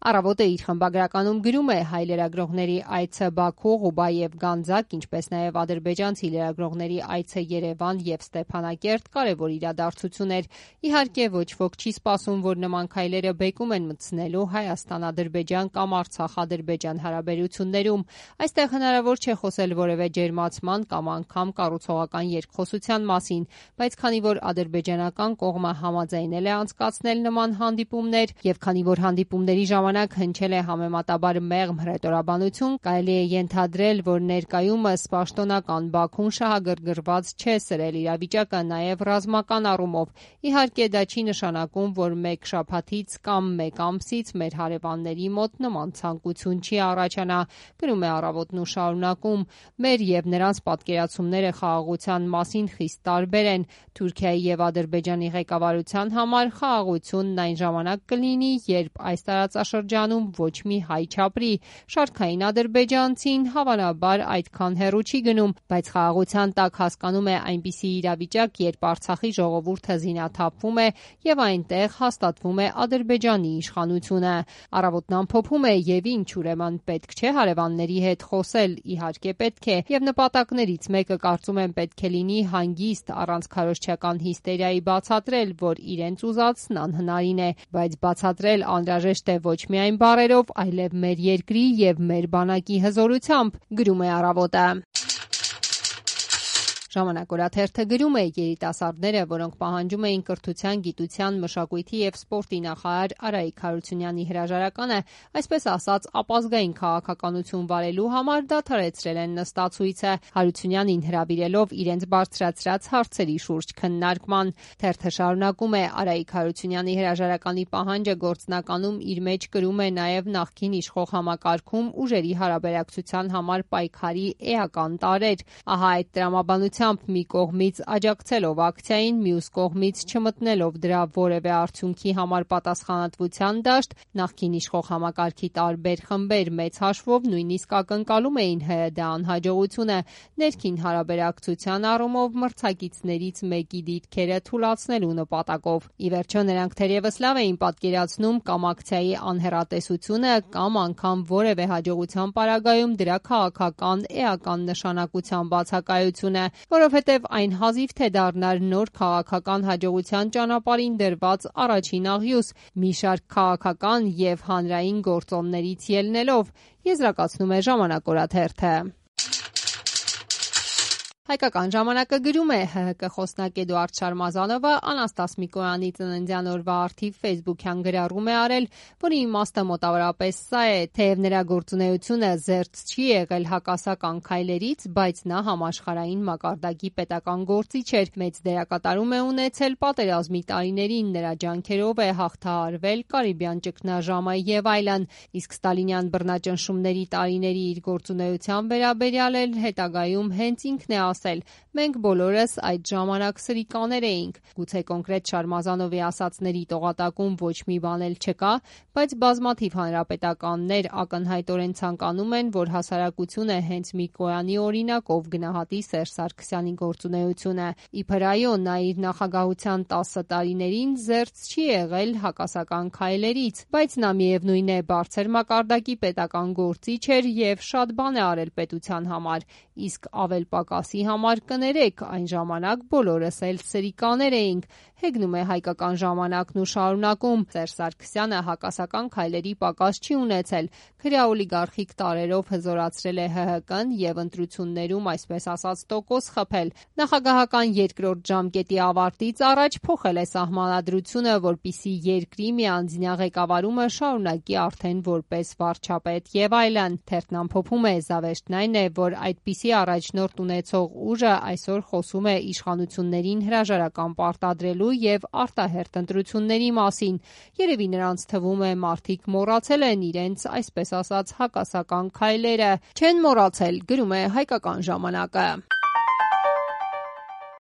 Առավոտը իր խմբագրականում գրում է հայ լրագրողների այցը Բաքու, Ղուբա և Գանձակ, ինչպես նաև ադրբեջանցի լրագրողների այցը Երևան և Ստեփանակերտ կարևոր իրադարձություն էր։ Իհարկե ոչ ոք չի սպասում, որ նման քայլերը բեկում են մտցնելու Հայաստան-Ադրբեջան կամ Արցախ-Ադրբեջան հարաբերություններում։ Այստեղ հնարավոր չէ խոսել որևէ ջերմացման կամ անգամ կառուցողական երկխոսության մասին, բայց քանի որ ադրբեջանական կողմը համաձայնել է անցկացնել նման հանդիպումներ եւ քանի որ հանդիպումների ժամանակ հնչել է համեմատաբար մեղմ հռետորաբանություն, կարելի է ենթադրել, որ ներկայումս պաշտոնական Բաքուն շահագրգռված չէ սրել իրավիճակը նաև ռազմական առումով։ Իհարկե դա չի նշանակում, որ մեկ շաբաթից կամ մեկ ամսից մեր հարևանների մոտ նման ցանկություն չի առաջանա, գրում է Առավոտն ու շարունակում. մեր եւ նրանց պատկերացումները խաղաղության մասին խիստ տարբեր են։ Թուրքիայի եւ Ադրբեջանի ղեկավարության համար խաղաղությունն այն ժամանակ կլինի, երբ այս տարածաշրջանում ոչ մի հայ չապրի։ Շարքային ադրբեջանցին հավանաբար այդքան հեռու չի գնում, բայց խաղաղության տակ հասկանում է այնպիսի իրավիճակ, երբ Արցախի ժողովուրդը զինաթափվում է եւ այնտեղ հաստատվում է Ադրբեջանի իշխանությունը։ Առավոտն ամփոփում է եւ ինչ ուրեմն պետք չէ հարևանների հետ խոսել, իհարկե պետք է, եւ նպատակներից մեկը կարծում եմ պետք է լինի հանգիստ առանց քարոզչական հիստերիայի բացատրել, որ իրենց ուզածն անհնարին է, բայց բացատրել անհրաժեշտ է ոչ միայն բառերով, այլև մեր երկրի եւ մեր բանակի հզորությամբ, գրում է Առավոտը։ Ժամանակ օրաթերթը գրում է. երիտասարդները, որոնք պահանջում էին կրթության, գիտության, մշակույթի եւ սպորտի նախարար Արայիկ Հարությունյանի հրաժարականը, այսպես ասած, ապազգային քաղաքականություն վարելու համար դադարեցրել են նստացույցը, Հարությունյանին հրավիրելով իրենց բարձրացրած հարցերի շուրջ քննարկման։ Թերթը շարունակում է. Արայիկ Հարությունյանի հրաժարականի պահանջը գործնականում իր մեջ կրում է նաեւ նախկին իշխող համակարգում ուժերի հարաբերակցության համար պայքարի էական տարրեր։ Ահա այդ տրամաբանությամբ մի կողմից աջակցելով ակցիային, մյուս կողմից չմտնելով դրա որևէ արդյունքի համար պատասխանատվության դաշտ, նախկին իշխող համակարգի տարբեր խմբեր մեծ հաշվով նույնիսկ ակնկալում էին ՀՅԴ անհաջողությունը ներքին հարաբերակցության առումով մրցակիցներից մեկի դիրքերը թուլացնելու նպատակով։ Ի վերջո նրանք թերևս լավ էին պատկերացնում կամ ակցիայի անհեռատեսությունը կամ անգամ որևէ հաջողության պարագայում դրա քաղաքական էական նշանակության բացակայությունը, որովհետև այն հազիվ թե դառնար նոր քաղաքական հաջողության ճանապարհին դրված առաջին աղյուս, մի շարք քաղաքական եւ հանրային գործոններից ելնելով, եզրակացնում է Ժամանակ օրաթերթը։ Հայկական ժամանակը գրում է. ՀՀԿ խոսնակ Էդուարդ Շարմազանովը Անաստաս Միկոյանի ծննդյան օրվա առթիվ ֆեյսբուքյան գրառում է արել, որի իմաստը մոտավորապես սա է. թեև նրա գործունեությունը զերծ չի եղել հակասական քայլերից, բայց նա համաշխարհային մակարդակի պետական գործիչ էր, մեծ դերակատարում է ունեցել պատերազմի տարիներին, նրա ջանքերով է հաղթահարվել Կարիբյան ճգնաժամը եւ այլն, իսկ ստալինյան բռնաճնշումների տարիների իր գործունեության վերաբերյալ էլ հետագայում հենց ինքն է ասել. մենք բոլորս այդ ժամանակ սրիկաներ էինք։ Գուցե կոնկրետ Շարմազանովի ասածների տողատակում ոչ մի բան էլ չկա, բայց բազմաթիվ հանրապետականներ ակնհայտորեն ցանկանում են, որ հասարակությունը հենց Միկոյանի օրինակով գնահատի Սերժ Սարգսյանի գործունեությունը։ Իբր այո, նա իր նախագահության 10 տարիներին զերծ չի եղել հակասական քայլերից, բայց նա միևնույն է բարձր մակարդակի պետական գործիչ էր եւ շատ բան է արել պետության համար, իսկ ավել պակասի համար կներեք, այն ժամանակ բոլորս էլ սրիկաներ էինք, հեգնում է Հայկական ժամանակն ու շարունակում. Սերժ Սարգսյանը հակասական քայլերի պակաս չի ունեցել, քրեաօլիգարխիկ տարրերով հզորացրել է ՀՀԿ-ն եւ ընտրություններում այսպես ասած տոկոս խփել։ Նախագահական երկրորդ ժամկետի ավարտից առաջ փոխել է սահմանադրությունը, որպիսի երկրի միանձնյա ղեկավարումը շարունակի արդեն որպես վարչապետ եւ այլն։ Թերթն ամփոփում է. զավեշտն այն է, որ այդպիսի առաջնորդ ունեցող ուժը այսօր խոսում է իշխանություններին հրաժարական պարտադրելու եւ արտահերթ ընտրությունների մասին։ Երևի նրանց թվում է մարդիկ մոռացել են իրենց այսպես ասած հակասական քայլերը։ Չեն մոռացել, գրում է Հայկական ժամանակը։